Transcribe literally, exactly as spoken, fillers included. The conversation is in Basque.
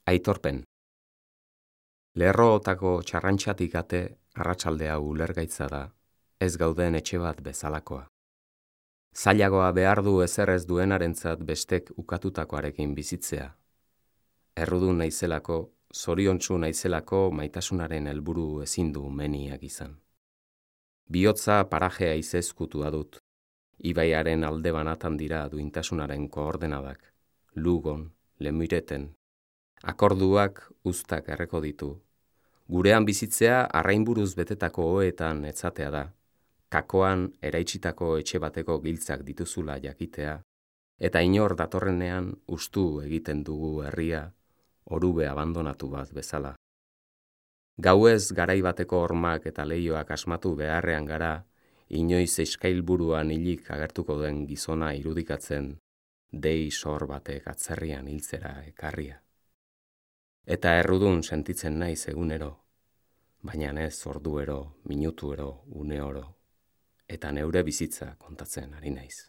Aitorpen. Lerrootako txarrantxatik ate arratsaldea ulergaitza da, ez gauden etxe bat bezalakoa. Zailagoa behar du ezer ez duenarentzat bestek ukatutakoarekin bizitzea. Errudun naizelako, zoriontsu naizelako maitasunaren helburu ezin du meniak izan. Bihotza parajea izezkutua dut. Ibaiaren alde banatan dira duintasunaren koordenadak. Lugon, Lemireten. Akorduak uztak erreko ditu. Gurean bizitzea arrainburuz betetako oheetan etzatea da. Kakoan eraitsitako etxe bateko giltzak dituzula jakitea, eta inor datorrenean ustu egiten dugu herria, orube abandonatu bat bezala. Gauez garai bateko hormak eta leihoak asmatu beharrean gara, inoiz eskailburuan hilik agertuko den gizona irudikatzen, dei sor batek atzerrian hiltzera ekarria. Eta errudun sentitzen naiz egunero, baina ez orduero, minutuero, uneoro, eta neure bizitza kontatzen ari naiz.